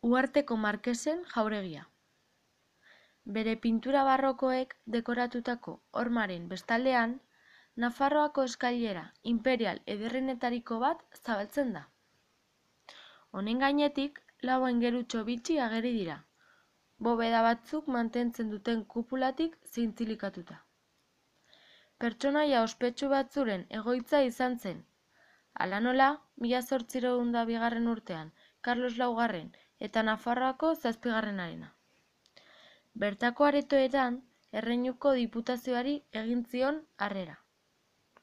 Uharteko markesen jauregia. Bere pintura barrokoek dekoratutako hormaren bestaldean, Nafarroako eskailera inperial ederrenetariko bat zabaltzen da. Honen gainetik, lau aingerutxo bitxi ageri dira, bobeda batzuk mantentzen duten kupulatik zintzilikatuta. Pertsonaia ospetsu batzuren egoitza izan zen. Hala nola, 1802 urtean Karlos Laugarren eta Nafarroako 7. Bertako aretoetan, Erreinuko Diputazioari egin zion harrera.